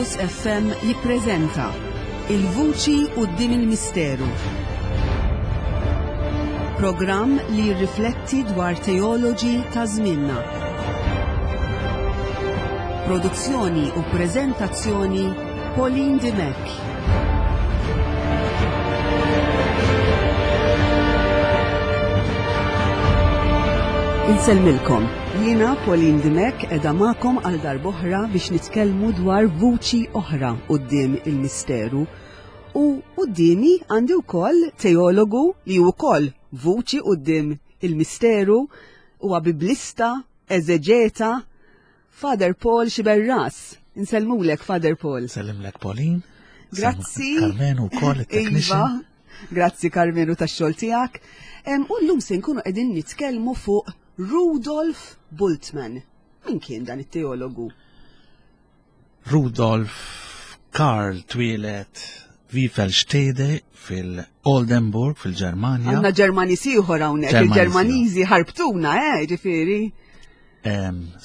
Angelus FM jippreżenta Il-Vuċi quddiem il-Misteru. Programm li jirrifletti dwar teoloġi ta' żmienna. Produzzjoni u preżentazzjoni Pauline Dimech. Insellmilkom. Jiena Pauline Dimech edha magħkom għal darb'oħra biex nitkellmu dwar vuċi oħra quddiem il-misteru. U quddiemi għandi wkoll teologu li wkoll vuċi quddiem il-misteru huwa biblista, eżeġeta, Father Paul Xiberras. Insellmulek, Father Paul. Sellimlek, Pauline. Grazzi. Carmenu wkoll it-technician. Iva, grazzi Carmenu tax-xogħol tiegħek. U llum se nkunu qegħdin nitkellmu fuq Rudolf Bultmann. Min kien dan it-teologu? Rudolf Karl twieled Wiefelstede fil-Oldenburg fil-Ġermanja. Għandna Ġermaniż ieħor hawnhekk, il-Ġermaniżi ħarbtuna, eh, ġifieri.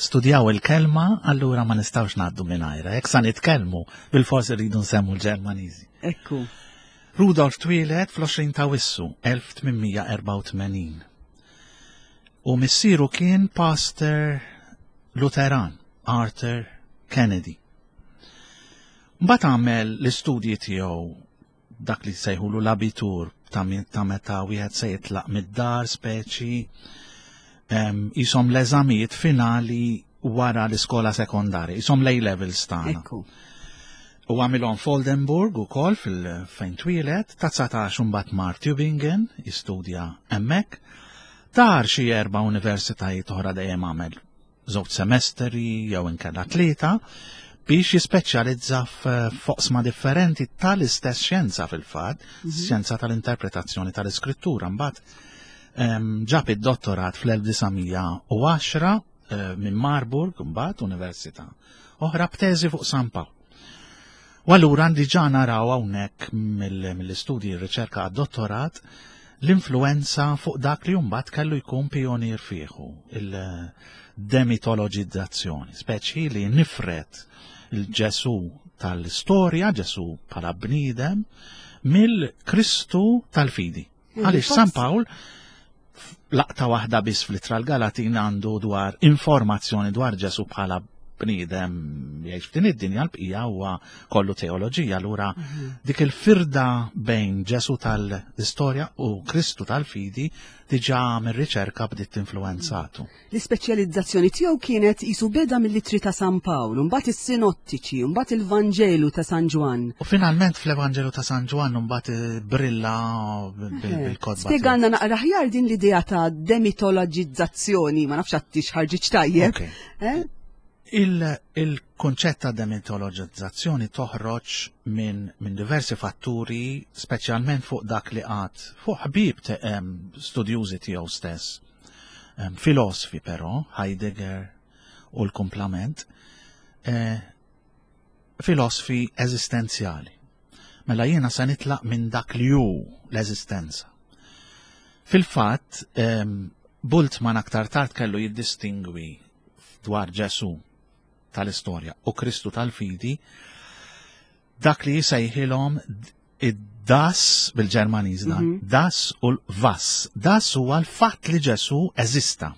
Studjaw il-kelma, allura ma nistgħux ngħaddu mingħajra. Jekk sa nitkellmu, bil-fors irridu nsemmu l-Ġermaniżi. Ekku. Rudolf twieled fl-20 ta' Wissu 1884. U missieru kien pastor Lutheran, Arthur Kennedy. Mbagħad għamel l-istudji tiegħu dak li sejħulu l-abitur ta' meta wieħed se jitlaq mid-dar speċi jisom l-eżamijiet finali wara l-iskola sekondarja, jisom l-A levels tagħna. U għamilhom f'Oldenburg ukoll fil-fejn twieled, ta' 19 imbagħad mar Tübingen jistudja hemmhekk. Dar xi erba' universitajiet oħra dejjem għamel żewġ semestri jew inkella tlieta biex jispeċjalizza f'oqsma differenti tal-istess xjenza fil-fatt, mhm. xjenza tal-interpretazzjoni tal-iskrittura. Mbagħad ġab id-dottorat fl-1910 eh, minn Marburg mbagħad Università oħra b'teżi fuq San Pawl. U allura diġà naraw hawnhekk mill-istudji r-riċerka għad-dottorat l-influenza fuq dak li mbagħad kellu jkun pionier fieħu, il-demitologizzazzjoni, speċi li nifret il-Ġesu tal-istorja, Ġesu bħala bniedem, mill-Kristu tal-fidi. Għaliex San Pawl laqta waħda biss fl-ittra l-Galatin għandu dwar informazzjoni dwar Ġesu bħala bniedem jgħix f'din id-dinja l-bqija huwa kollu teoloġija allura mhm. dik il-firda bejn Ġesu tal-istorja u Kristu tal-fidi diġà mir-riċerka bdiet influenzatu. L-ispeċjalizzazzjoni tiegħu kienet qisu beda mill-ittri ta' San Pawl, imbagħad is-Sinottiċi, imbagħad il-Vanġelu ta' San Ġwann. U finalment fl-Evanġelu ta' San Ġwann imbagħad brilla bil-kotba. Spjegalna naqra aħjar din l-idea ta' demitologizzazzjoni, ma nafx għattix ħarġitx tajjeb. Eh? Il-kunċett ta' demitologizzazzjoni toħroġ minn min diversi fatturi, speċjalment fuq dak li għad fuq ħbieb studjużi tiegħu stess Filosofi però, Heidegger u l-kumplament, eh, filosofi eżistenzjali. Mela jiena se nitlaq minn dak li hu l-eżistenza. Fil-fatt, Bultmann aktar tard kellu jiddistingwi dwar Ġesu tal-istorja u Kristu tal-fidi dak li jisejħilhom id-das bil-Ġermaniż dan, mhm. das u l-vas. Das huwa l-fatt li Ġesu eżista.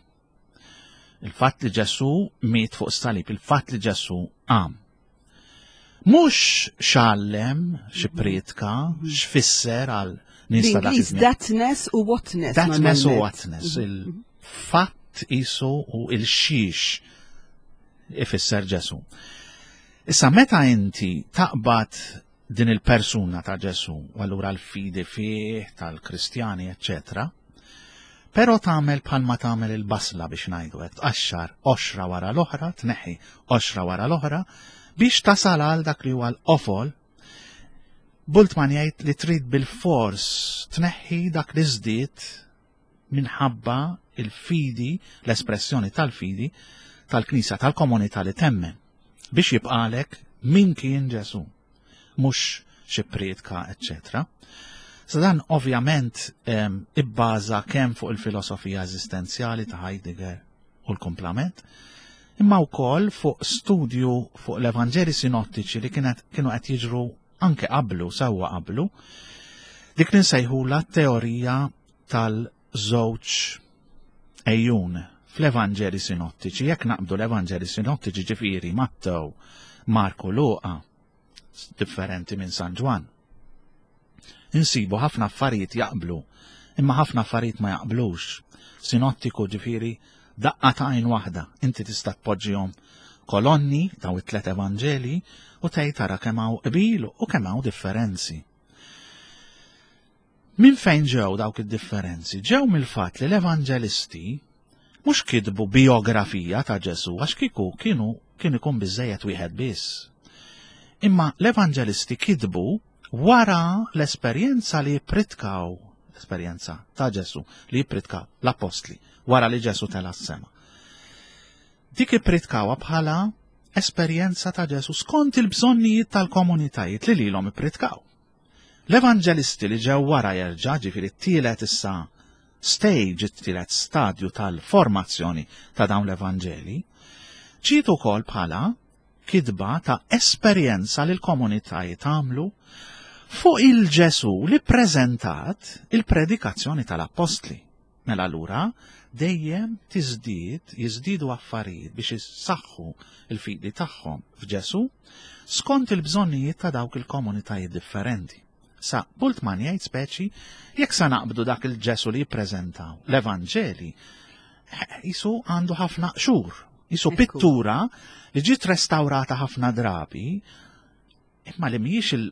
Il-fatt li Ġesu miet fuq salib, il-fatt li Ġesu qam. Mhux xallem, xi mhm. prietka, mhm. x'fisser għal nies ta' dak Thatness u whatness. Thatness u whatness, il-fatt isu u il-xiex ifisser Ġesu. Issa meta inti taqbad din il-persuna ta' Ġesu, u allura l-fidi fih tal-Kristjani, eccetera, però tagħmel bħalma tagħmel il-basla biex ngħidu hekk, tqaxxar qoxra wara l-oħra, tneħħi qoxra wara l-oħra, biex tasal għal dak li huwa l-qofol. Bultmann jgħid li trid bil-fors tneħħi dak li żdied minħabba il-fidi, l-espressjoni tal-fidi tal-Knisja tal-komunità li temmen biex jibqalek min kien Ġesu, mhux xi prietka, eċċetera. Sa dan ovvjament ibbaża kemm fuq il-filosofija eżistenzjali ta' Heidegger u l-kumplament. imma wkoll fuq studju fuq l-Evanġeli sinottiċi li kienet kienu qed jiġru anke qablu, sewwa qablu, dik li nsejħula teorija tal-żewġ ejjun fl-Evanġeli sinottiċi. Jekk naqbdu l-Evanġeli sinottiċi ġifieri Mattew, Marku, Luqa, differenti minn San Ġwann. Insibu ħafna affarijiet jaqblu, imma ħafna affarijiet ma jaqblux. Sinottiku ġifieri daqqa ta' għajn waħda, inti tista' tpoġġihom kolonni daw it-tlet evanġeli u tgħid tara kemm hawn qbil u kemm hawn differenzi. Minn fejn ġew dawk id-differenzi? Ġew mill-fatt li l-evanġelisti mhux kitbu bijografija ta' Ġesù għax kieku kienu kien ikun biżejjed wieħed biss. Imma l-evanġelisti kitbu wara l-esperjenza li jippritkaw l-esperjenza ta' Ġesù li jippritkaw l-appostli wara li Ġesù tela' s-sema. Dik ippritkawha bħala esperjenza ta' Ġesù skont il-bżonnijiet tal-komunitajiet li lilhom ippritkaw. L-evanġelisti li ġew wara jerġa' ġifieri t-tielet issa stage, it-tielet stadju tal-formazzjoni ta' dawn l-evanġeli, ġiet ukoll bħala kitba ta' esperjenza li l-komunitajiet għamlu fuq il-Ġesù li ppreżentat il-predikazzjoni tal-appostli. Mela allura dejjem tiżdied, jiżdiedu affarijiet biex issaħħu l-fidi tagħhom f'Ġesù skont il-bżonnijiet ta' dawk il-komunitajiet differenti. Sa Bultmann jgħid speċi jekk sa naqbdu dak il-Ġesù li jippreżentaw l-Evanġeli, jisu għandu ħafna qxur, jisu pittura li ġiet restawrata ħafna drabi, imma li mhijiex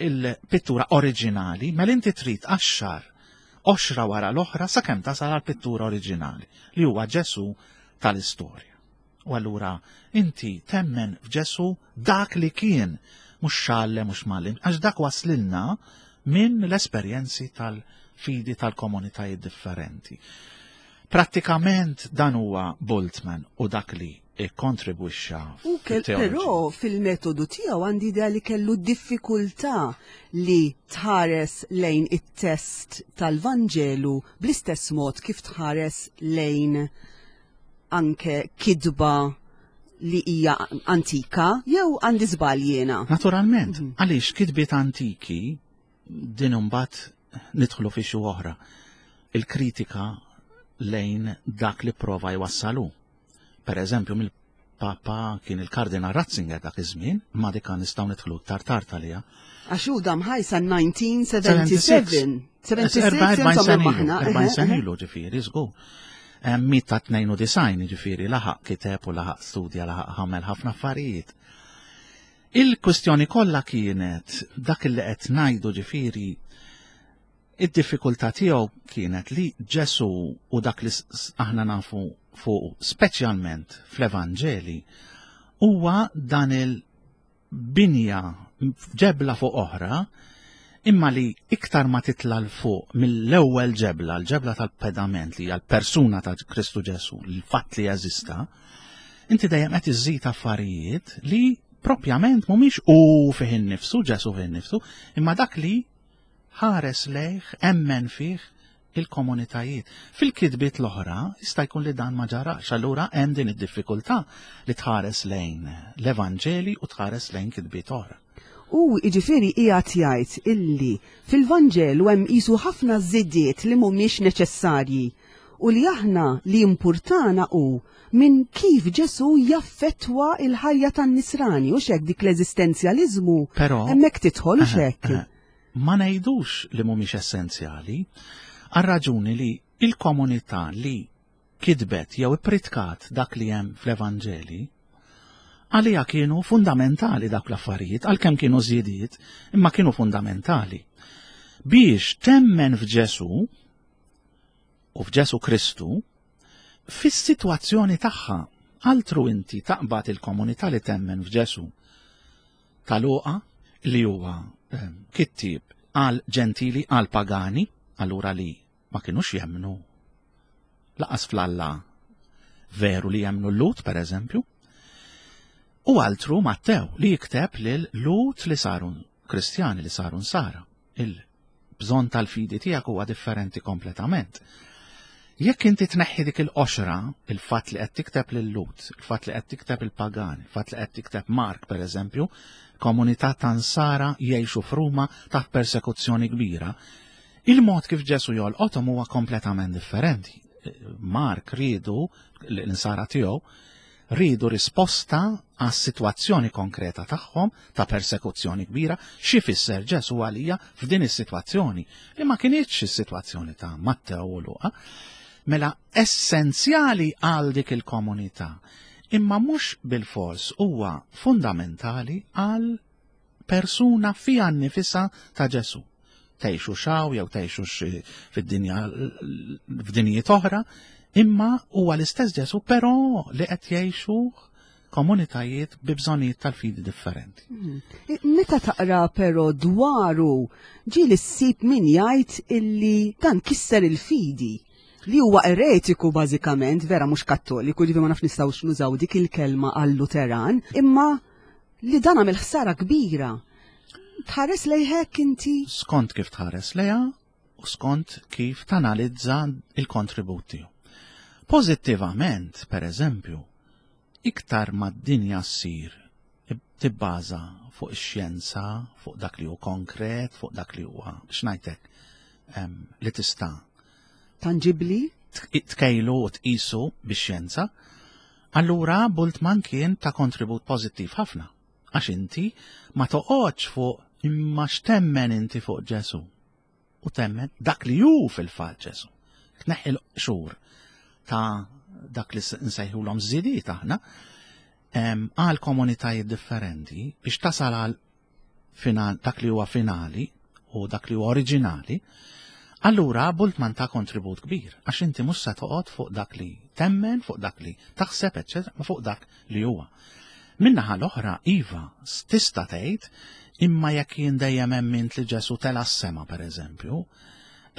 il-pittura oriġinali, mela inti trid qaxxar qoxra wara l-oħra sakemm tasal għall-pittura oriġinali li huwa Ġesù tal-istorja. U allura inti temmen f'Ġesù dak li kien, mhux x'għallem mhux m'għallimx, għax dak waslilna minn l-esperjenzi tal-fidi tal-komunitajiet differenti. Prattikament dan huwa Bultmann u dak li ikkontribwixxa. U però fil-metodu tiegħu għandi idea li kellu diffikultà li tħares lejn it-test tal-Vanġelu bl-istess mod kif tħares lejn anke kitba li hija antika jew għandi żball jiena. Naturalment, mhm. għaliex kitbiet antiki din imbagħad nidħlu fi xi oħra. Il-kritika lejn dak li prova jwassalu. Per eżempju, mill-Papa kien il-Kardinal Ratzinger dak iż-żmien, ma dik nistgħu nidħlu iktar tard għaliha. Għax hu dam ħaj sa 1977. 76 insomma sena ilu ġifieri, żgur. Mit ta' 92 ġifieri laħaq kiteb u laħaq studja laħaq ħamel ħafna affarijiet. Il-kwistjoni kollha kienet dak li qed ngħidu ġifieri id-diffikultà tiegħu kienet li Ġesù u dak li aħna nafu fuq speċjalment fl-Evanġeli huwa dan il-binja ġebla fuq oħra imma li iktar ma titla' 'l fuq mill-ewwel ġebla, l-ġebla tal-pedament li hija l-persuna ta' Kristu Ġesù, l-fatt li jeżista, inti dejjem qed iżżid affarijiet li propjament mhumiex hu fih innifsu, Ġesù fih innifsu, imma dak li ħares lejh, emmen fih il-komunitajiet. Fil-kitbiet l-oħra jista' jkun li dan ma ġarax, allura hemm din id-diffikultà li tħares lejn l-Evanġeli u tħares lejn kitbiet oħra. U jiġifieri qiegħed jgħid illi fil-Vanġelu hemm qisu ħafna żidiet li mhumiex neċessarji u li aħna li jimpurtana hu minn kif Ġesù jaffettwa l-ħajja tan-nisrani, hux hekk dik l-eżistenzjaliżmu hemmhekk tidħol hux hekk? Ma ngħidux li mhumiex essenzjali, għar-raġuni li il-komunità li kitbet jew ippritkat dak li hemm fl-Evanġeli, għaliha kienu fundamentali dak l-affarijiet, għalkemm kienu żiediet, imma kienu fundamentali. Biex temmen f'Ġesù u f'Ġesù Kristu, fis-sitwazzjoni tagħha, altru inti taqbad il-komunità li temmen f'Ġesù ta' Luqa li huwa ehm, kittieb għal ġentili għal pagani, allura li ma kinux jemmnu laqas fl-Alla veru li jemmnu l-Lut, per eżempju, u altru Mattew li jikteb lil Lut li saru Kristjani li saru nsara. Il-bżonn tal-fidi tiegħek huwa differenti kompletament. Jekk inti tneħħi dik il-qoxra, il-fatt li qed tikteb lil-Lhud, il-fatt li qed tikteb il-pagan, il-fatt li qed tikteb Mark pereżempju, komunità ta' Nsara jgħixu f'Ruma taħt persekuzzjoni kbira, il-mod kif Ġesu jolqothom huwa kompletament differenti. Mark riedu l-insara tiegħu riedu risposta għas-sitwazzjoni konkreta tagħhom ta' persekuzzjoni kbira, xi fisser Ġesu għalija f'din is-sitwazzjoni li ma kinitx is-sitwazzjoni ta' Mattew u Luqa. Mela essenzjali għal dik il-komunità, imma mhux bilfors huwa fundamentali għal persuna fiha nnifisha ta' Ġesu. Tgħixu xaw jew tgħixu fid-dinja f'dinjiet oħra, imma huwa l-istess Ġesu però li qed jgħixu komunitajiet bi bżonnijiet tal-fidi differenti. Hmm. Meta taqra però dwaru ġieli ssib min jgħid illi dan kisser il-fidi li huwa eretiku bażikament, vera mhux kattoliku, ġifi ma nafx nistgħux nużaw dik il-kelma għal-Luteran, imma li dan għamel ħsara kbira. Tħares lejhek inti? Skont kif tħares lejha u skont kif tanalizza il-kontribut tiegħu. Pożittivament, per eżempju, iktar ma d-dinja ssir tibbaża fuq ix-xjenza, fuq dak li hu konkret, fuq dak li huwa x'ngħidlek li tista' Tangibli? Tkejlu u tqisu bix-xjenza, allura Bultmann kien ta' kontribut pożittiv ħafna. Għax inti ma toqgħodx fuq imma x'temmen inti fuq Ġesu. U temmen dak li hu fil-fatt Ġesu. Tneħħi l-qxur ta' dak li nsejħulhom żidiet aħna għal komunitajiet differenti biex tasal għal final, dak li huwa finali u dak li huwa oriġinali, allura Bultmann ta' kontribut kbir, għax inti mhux se toqgħod fuq dak li temmen, fuq dak li taħseb, eċċetera, ma fuq dak li huwa. Min-naħa l-oħra, iva, tista' tgħid, imma jekk jien dejjem emmint li Ġesu tela' s-sema pereżempju,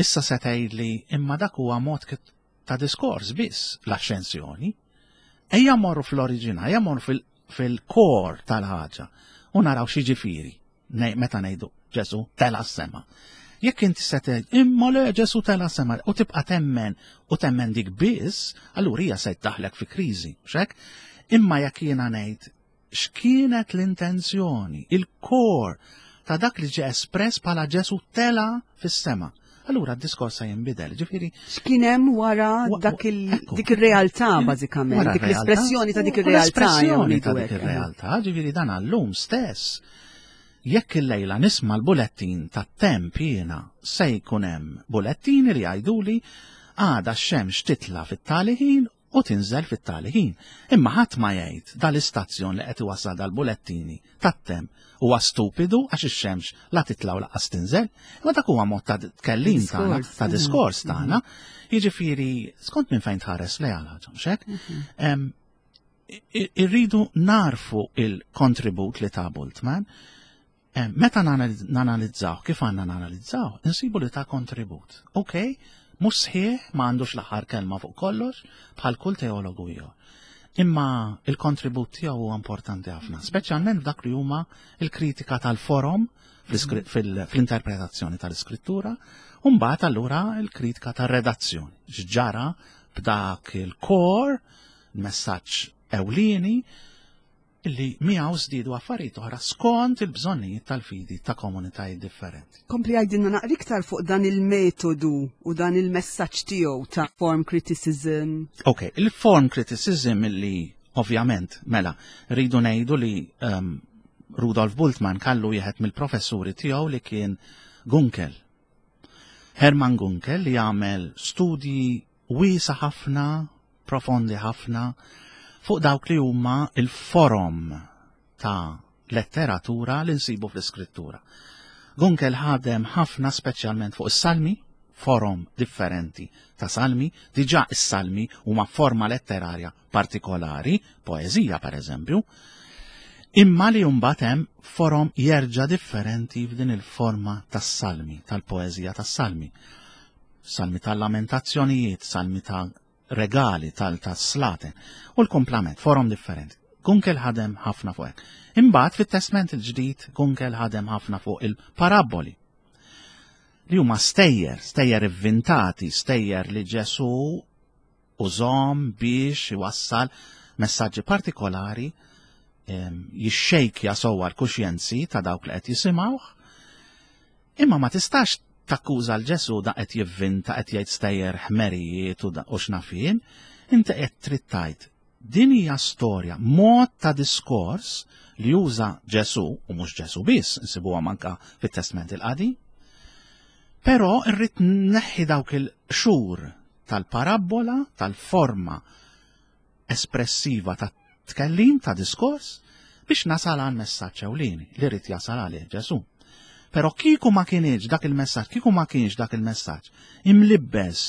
issa se tgħidli imma dak huwa mod ta' diskors biss l-axxensjoni. Ejja morru fl-oriġina, ejja morru fil-kor tal-ħaġa u naraw xi ġifieri meta ngħidu Ġesu tela' s-sema. Jekk inti se tgħid imma le Ġesu tela' s-sema u tibqa' temmen u temmen dik biss, allura hija se tdaħlek fi kriżi, xek? Imma jekk jiena ngħid x'kienet l-intenzjoni, il-kor ta' dak li ġie espress bħala Ġesu tela fis-sema. Allura d-diskors se jinbidel, ġifieri. X'kien hemm wara dak dik ir-realtà bażikament, dik l-espressjoni ta' dik ir-realtà. L-espressjoni ta' dik ir-realtà, ġifieri dan għallum stess. Jekk il-lejla nisma' l-bulettin tat-temp jiena se jkun hemm bulettini li jgħiduli għada x-xemx titla' fit-tali ħin u tinżel fit-tali ħin. Imma ħadd ma jgħid dal-istazzjon li qed iwassal dal-bulettini tat-temp huwa stupidu għax ix-xemx la titla' u lanqas tinżel. Imma dak huwa mod ta' tkellim tagħna, ta' diskors tagħna. Jiġifieri skont minn fejn tħares lejha l-ħaġa, mhux hekk? Mhm. Irridu narfu il-kontribut li ta' Bultmann Eh, meta nanalizzaw, kif għandna nanalizzaw, insibu li ta' kontribut. Ok, mhux sħiħ, ma għandux l-aħħar kelma fuq kollox, bħal kull teologu ieħor. Imma il-kontribut tiegħu huwa importanti ħafna, speċjalment f'dak li huma il-kritika tal-forom fl-interpretazzjoni tal-iskrittura, u mbagħad allura il-kritika tar-redazzjoni. X'ġara b'dak il-kor, messaġġ ewlieni, li miegħu żdiedu affarijiet oħra skont il-bżonnijiet tal-fidi ta' komunitajiet differenti. Kompli għajdilna naqra iktar fuq dan il-metodu u dan il-messaġġ tiegħu ta' form criticism. Ok, il-form criticism illi ovvjament mela rridu ngħidu li um, Rudolf Bultmann kallu wieħed mill-professuri tiegħu li kien Gunkel. Hermann Gunkel li għamel studji wiesa' ħafna, profondi ħafna, fuq dawk li huma il-forom ta' letteratura li nsibu fl-iskrittura. Gunkel ħadem ħafna speċjalment fuq is-salmi, forom differenti ta' salmi, diġà is-salmi huma forma letterarja partikolari, poeżija per eżempju, imma li mbagħad hemm forom jerġa' differenti f'din il-forma tas-salmi, tal-poeżija tas-salmi. Salmi tal-lamentazzjonijiet, salmi ta' regali, tal-slaten, u l-kumplament, forom differenti. Gunkel ħadem ħafna fuq hekk. Imbagħad fit-Testment il-Ġdid Gunkel ħadem ħafna fuq il-parabboli. Li huma stejjer, stejjer ivvintati, stejjer li Ġesu Użahom biex iwassal messaġġi partikolari jixxejkja sewwa l-kuxjenzi ta' dawk li qed jisimgħuh. Imma ma tistax takkuża l Ġesu da qed jivvinta qed jgħid stejjer ħmerijiet u x'naf jien, inti qed trid tgħid din hija storja, mod ta' diskors li juża Ġesu, u mhux Ġesu biss, nsibuha manka fit-Testment il-Qadim. Però rrid neħħi dawk il-xhur tal-parabbola, tal-forma espressiva ta' tkellim, ta' diskors, biex nasal għal messaġġ ewlieni li rrid jasal għalih Ġesu. Però kieku ma kienx dak il-messaġġ, kieku ma kienx dak il-messaġġ imlibbes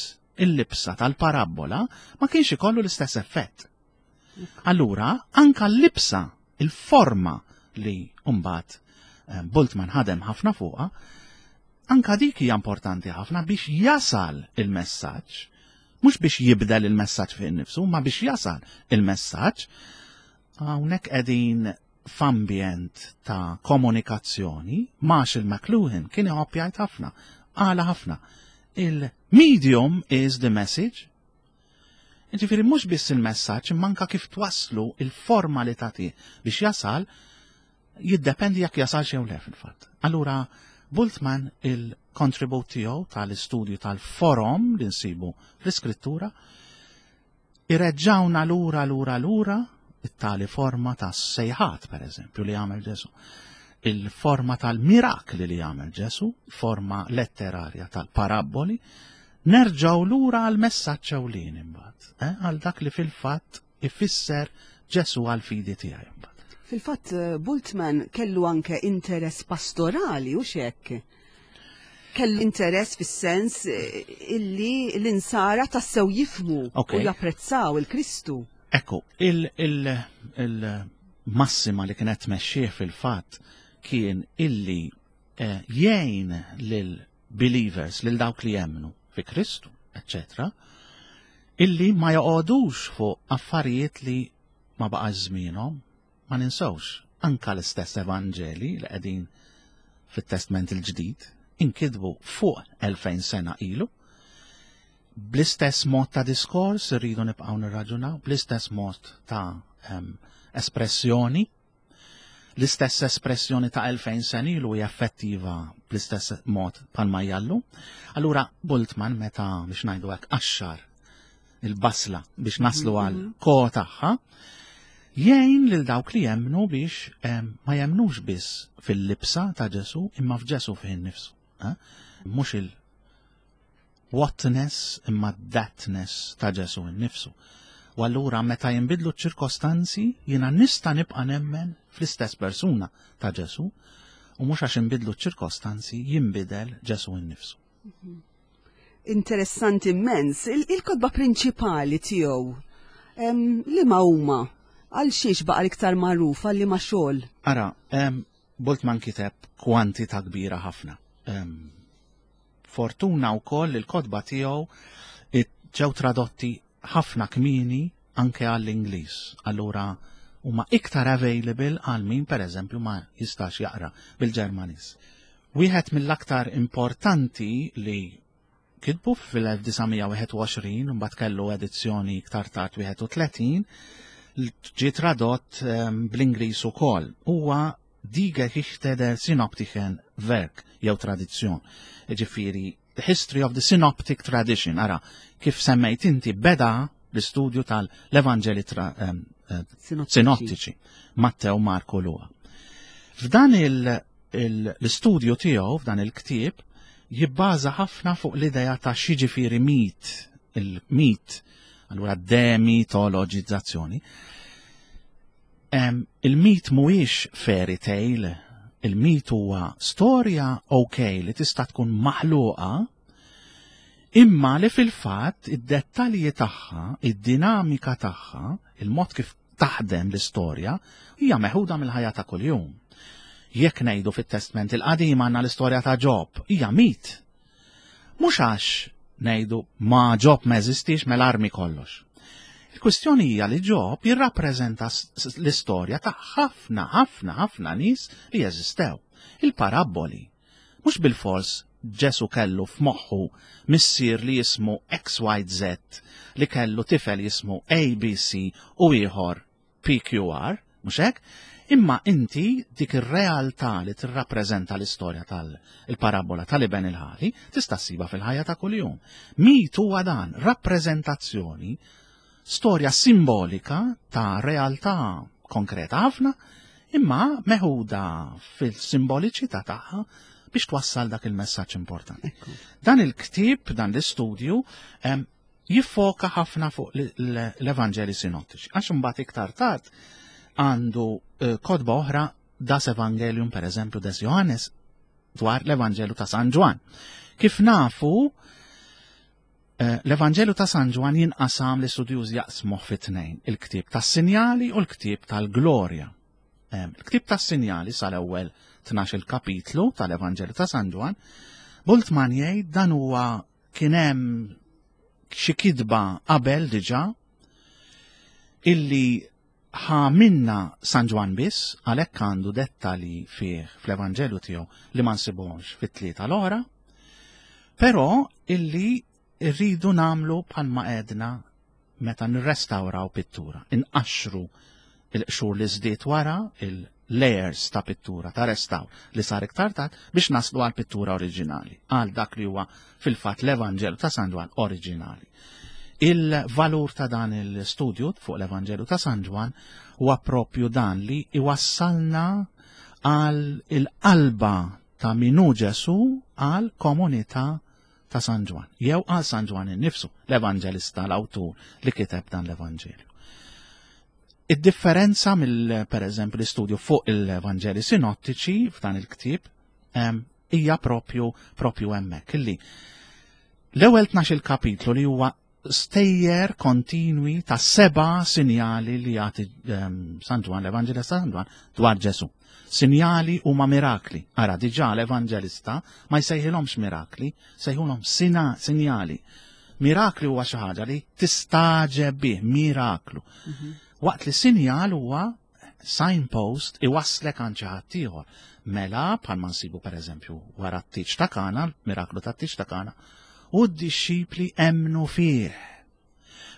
il-libsa tal-parabbola, ma kienx ikollu l-istess effett. Allura, anka l-libsa, il-forma li mbagħad eh, Bultmann ħadem ħafna fuqha, anka dik hija importanti ħafna biex jasal il-messaġġ, mhux biex jibdel il-messaġġ fih innifsu, ma biex jasal il-messaġġ. Hawnhekk qegħdin f'ambjent ta' komunikazzjoni, Marshall McLuhan kien iħobb jgħid ħafna, qala ħafna. Il-medium is the message. Ġifieri mhux biss il-messaġġ, imma anka kif twasslu il-forma li tagħti biex jasal jiddependi jekk jasal jew le fil-fatt. Allura Bultmann il-kontribut tiegħu tal-istudju tal-forom li nsibu fl-iskrittura ireġġawna lura lura lura it-tali forma ta' sejħat per eżempju li għamel Ġesu. Il-forma tal-mirakli li għamel Ġesu, forma letterarja tal-parabboli, nerġaw lura għal messaġġ ewlieni imbagħad, eh, għal dak li fil-fatt ifisser Ġesu għal fidi tiegħi imbagħad. Fil-fatt eh, Bultmann kellu anke interess pastorali u xek. Kellu interess fis-sens eh, illi l-insara tassew jifmu u japprezzaw il-Kristu. Ekku, il-massima li kienet tmexxih fil-fatt kien illi eh, jgħin lil believers, lil dawk li jemmnu fi Kristu, eccetera, illi ma joqogħdux fuq affarijiet li ma baqax żmienhom, ma ninsewx, anka l-istess Evanġeli li qegħdin fit-Testment il-Ġdid inkitbu fuq 2000 sena ilu, bl-istess mod ta' diskors irridu nibqgħu nirraġunaw, bl-istess mod ta' um, espressjoni, l-istess espressjoni ta' 2000 sena ilu hija effettiva bl-istess mod bħalma jallu. Allura Bultmann meta biex ngħidu hekk qaxxar il-basla biex naslu għal mhm. ko tagħha, jgħin lil dawk li jemnu biex ma jemnux biss fil-libsa ta' Ġesu imma f'Ġesu fih innifsu. Eh? Mhux il whatness imma thatness ta' Ġesu innifsu. U allura meta jinbidlu ċ-ċirkostanzi jiena nista' nibqa' nemmen fl-istess persuna ta' Ġesu u mhux għax inbidlu ċ-ċirkostanzi jinbidel Ġesu innifsu. Interessanti immens. Il-kotba prinċipali tiegħu li ma huma għal xiex baqa' l-iktar magħruf għal li ma xogħol? Ara, Bultmann kiteb kwantità kbira ħafna. Fortuna wkoll il-kotba tiegħu ġew tradotti ħafna kmieni anke għall-Ingliż. Allura huma iktar available għal min pereżempju ma jistax jaqra bil-Ġermaniż. Wieħed mill-aktar importanti li kitbu fil-1921 mbagħad kellu edizzjoni iktar tard 31 ġie tradott ehm, bl-Ingliż ukoll. Huwa Die Geschichte der Synoptischen Werk jew tradizzjon. Ġifieri The History of the Synoptic Tradition, ara, kif semmejt inti beda l-istudju tal-Evanġeli ehm, eh, sinottiċi, Mattew, Marku, Luqa. F'dan l-istudju tiegħu, f'dan il-ktieb, jibbaża ħafna fuq l-idea ta' xiġifieri mit, il-mit, allura demitologizzazzjoni. Il-mit mhuwiex fairy tale, il-mit huwa storja ok li tista' tkun maħluqa, imma li fil-fatt id-dettalji tagħha, id-dinamika tagħha, il-mod kif taħdem l-istorja, hija meħuda mill-ħajja ta' kuljum. Jekk ngħidu fit-Testment il-Qadim għandna l-istorja ta' Ġob, hija mit. Mhux għax ngħidu ma Ġob ma jeżistix mela armi kollox. Il-kwistjoni hija li Ġob jirrappreżenta l-istorja ta' ħafna ħafna ħafna nies li jeżistew. Il-parabboli mhux bilfors Ġesu kellu f'moħħu missier li jismu XYZ li kellu tifel jismu ABC u ieħor PQR, mhux hekk? Imma inti dik ir-realtà li tirrappreżenta l-istorja tal-parabola tal-iben il-ħali tista' ssiba fil-ħajja ta' kuljum. Mit huwa dan rappreżentazzjoni, storja simbolika ta' realtà konkreta ħafna, imma meħuda fil-simboliċità tagħha biex twassal dak il-messaġġ importanti. Dan il-ktieb, dan l-istudju, jiffoka ħafna fuq l-Evanġeli sinottiċi. Għax imbagħad iktar tard għandu eh, kotba oħra Das Evangelium per eżempju des Johannes dwar l-Evanġelu ta' San Ġwan. Kif nafu, eh, l-Evanġelu ta' San Ġwan jinqasam li studjuż jaqsmuh fi tnejn, il-ktieb tas-sinjali u l-ktieb tal-glorja. Eh, il-ktieb tas-sinjali sal-ewwel 12 il-kapitlu tal-Evanġelu ta' San Ġwan, Bultmann jgħid dan huwa Kien hemm xi kitba qabel diġà illi ħa minna San Ġwann biss, għalhekk għandu dettalji fih fl-Evanġelju tiegħu li ma nsibuhomx fit-tlieta l-oħra, però illi rridu nagħmlu bħalma għedna meta nirrestawraw pittura, inqaxxru il-qxur li żdied wara il-layers ta' pittura ta' restawr li sar iktar tard biex naslu għal pittura oriġinali, għal dak li huwa fil-fatt l-Evanġelu ta' San Ġwann oriġinali. Il-valur ta' dan il-studju fuq l-Evanġelu ta' San Ġwann huwa propju dan li iwassalna għal il-qalba ta' minu Ġesu għal komunità ta' San Ġwann, jew għal San Ġwann innifsu, l-evanġelista, l-awtur li kiteb dan l-Evanġelju. Id-differenza mill per eżempju l-istudju fuq il-Evanġeli sinottiċi f'dan il-ktieb hija propju propju hemmhekk illi l-ewwel 12 kapitlu li huwa stejjer kontinwi ta' seba' sinjali li jagħti ehm, San Ġwan, l-Evanġelista San Ġwan dwar Ġesu. Sinjali huma mirakli. Ara, diġà l-Evanġelista ma jsejħilhomx mirakli, sejħulhom sina sinjali. Mirakli huwa xi ħaġa li tistaġeb bih, miraklu. Mhm. Waqt li sinjal huwa signpost iwasslek għand xi ħadd ieħor. Mela bħalma nsibu pereżempju wara t-tieġ ta' Kana, miraklu tat-tieġ ta' Kana, u d-dixxipli emmnu fih.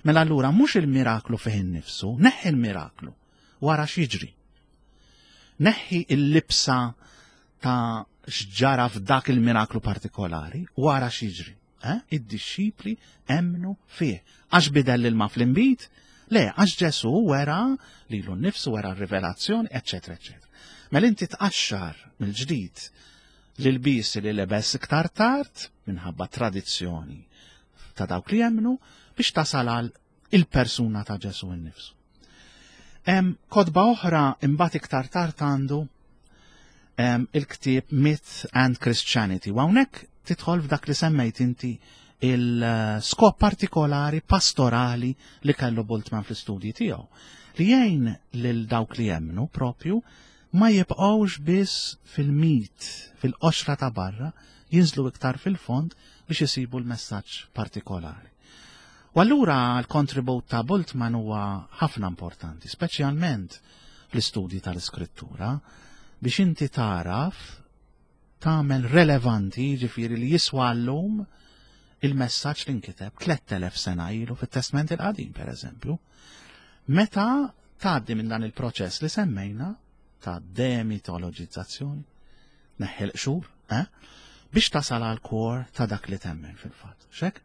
Mela allura mhux il-miraklu fih innifsu, neħħi l-miraklu wara x'jiġri. Neħħi il-libsa ta' x'ġara f'dak il-miraklu partikolari wara x'jiġri. Eh? Id-dixxipli emmnu fih. Għax bidel l-ilma fl-inbid? Le, għax Ġesu wera lilu nnifsu wera r-rivelazzjoni, eċetera, eċetera. Mela inti tqaxxar mill-ġdid l-ilbies li lebes iktar tard minħabba tradizzjoni ta' dawk li jemmnu biex tasal għal il-persuna ta' Ġesu nnifsu. Kotba oħra imbagħad iktar tard għandu il-ktieb Myth and Christianity. U hawnhekk tidħol f'dak li semmejt inti il-skop partikolari pastorali li kellu Bultmann fl-istudji tiegħu. Li jgħin lil dawk li jemmnu propju ma jibqgħux biss fil-mit, fil-qoxra ta' barra, jinżlu iktar fil-fond biex isibu l-messaġġ partikolari. U allura l-kontribut ta' Bultmann huwa ħafna importanti, speċjalment fl-istudji tal-iskrittura, biex inti tagħraf tagħmel relevanti, jiġifieri li jiswa llum il-messaġġ li nkiteb 3000 sena ilu fit-Testment il-Qadim, per eżempju. Meta tgħaddi minn dan il-proċess li semmejna ta' demitologizzazzjoni, neħħi l-qxur, eh? biex tasal għal kor ta' dak li temmen fil-fatt. Xek?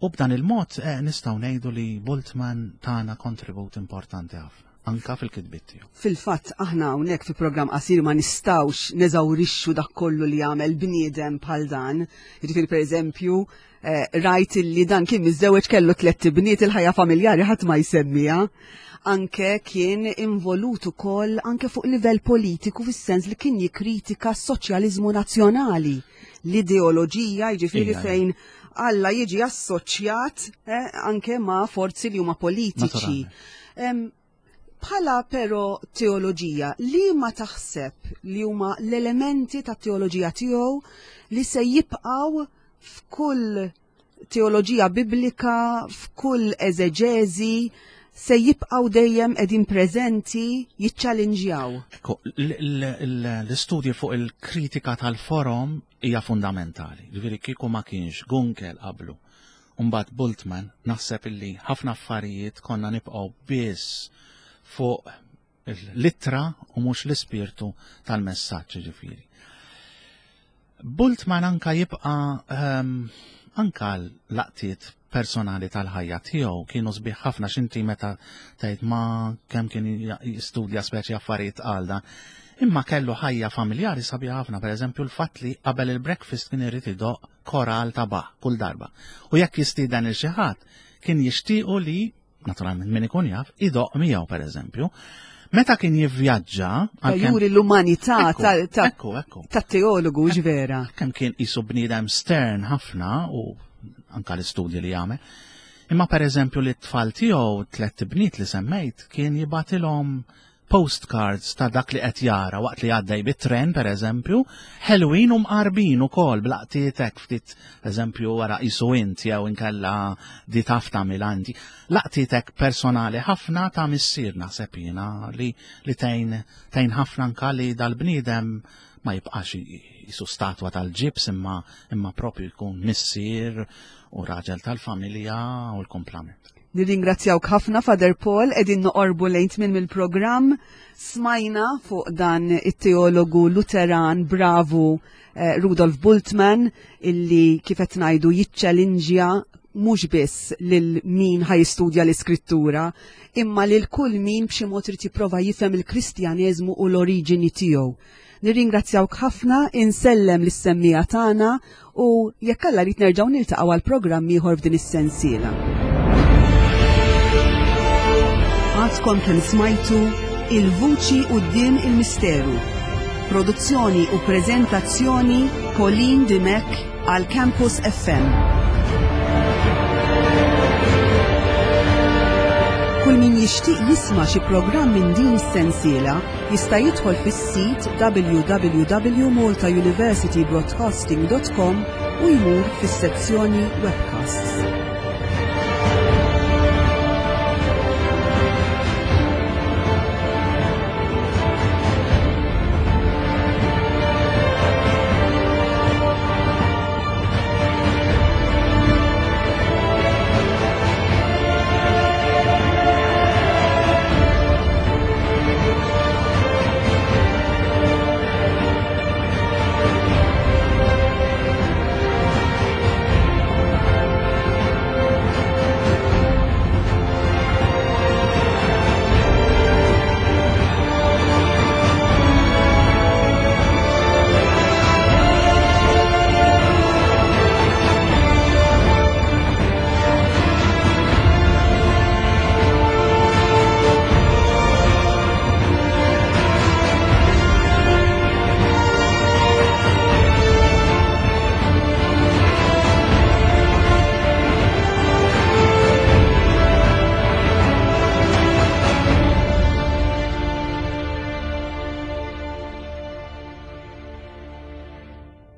U b'dan il-mod eh, nistgħu ngħidu li Bultmann tana kontribut importanti ħafna anka fil-kitbiet tiegħu. Fil-fatt aħna hawnhekk fi programm qasir ma nistgħux neżawrixxu dak kollu li għamel bniedem bħal dan. Jiġifieri pereżempju, eh, rajt li dan kien miżżewweġ kellu tlett ibniet il-ħajja familjari ħadd ma jsemmiha. Anke kien involut ukoll anke fuq livell politiku fis-sens li kien jikkritika s-soċjaliżmu nazzjonali, l-ideoloġija jiġifieri fejn Alla jiġi assoċjat eh, anke ma' forzi li huma politiċi. Bħala però teoloġija, li ma taħseb li huma l-elementi ta' teoloġija tiegħu li se jibqgħu f'kull teoloġija biblika, f'kull eżeġeżi, se jibqgħu dejjem qegħdin preżenti jiċċalinġjaw. L-istudji fuq il-kritika tal-forom hija fundamentali. Ġifieri kieku ma kienx Gunkel qablu u mbagħad Bultmann naħseb illi ħafna affarijiet konna nibqgħu biss fuq l-ittra u mhux l-ispirtu tal-messaġġ ġifieri. Bultmann anka jibqa' um, anka l-laqtiet personali tal-ħajja tiegħu kienu sbieħ ħafna x'inti meta tgħid ma kemm kien jistudja speċi affarijiet għal dan. Imma kellu ħajja familjari sabiħ ħafna, pereżempju l-fatt li qabel il-breakfast kien irid idoq koral ta' baħ kull darba. U jekk jistieden il xi ħadd kien jixtiequ li naturalment min ikun jaf, idoq miegħu pereżempju. Meta kien jivvjaġġa. Juri l-umanità tat-teologu ġvera. Kemm kien qisu bniedem stern ħafna u anka l-istudji li jagħmel. Imma pereżempju li t-tfal tiegħu tlett bniet li semmejt kien jibatilhom postcards ta' dak li qed jara waqt li għaddej bit-tren pereżempju, ħelwin u mqarbin ukoll blaqtiet hekk ftit eżempju wara qisu int jew inkella di taf tagħmilha inti. Laqtiet hekk personali ħafna ta' missier naħseb jiena li li tgħin tgħin ħafna anka li dal-bniedem ma jibqax jisu statwa tal-ġibs imma imma propju jkun missier u raġel tal-familja u l-komplament. Nirringrazzjawk ħafna Father Paul, qegħdin noqorbu lejn tmiem il-programm. Smajna fuq dan it-teologu Luteran bravu eh, Rudolf Bultmann illi kif qed ngħidu jiċċelinġja mhux biss lil min ħajstudja l-iskrittura, imma lil kull min b'xi mod irid jipprova jifhem il-Kristjaneżmu u l-oriġini tiegħu. Nirringrazzjawk ħafna, insellem lis-semmiegħa tagħna u jekk Alla jrid nerġgħu niltaqgħu għal programm ieħor f'din is-sensiela. Għadkom kemm smajtu Il-Vuċi quddiem il-Misteru. Produzzjoni u preżentazzjoni Pauline Dimech għal Campus FM. Kull min jixtieq jisma' xi programm minn din is-sensiela jista' jidħol fis-sit www.maltauniversitybroadcasting.com u jmur fis-sezzjoni Webcasts.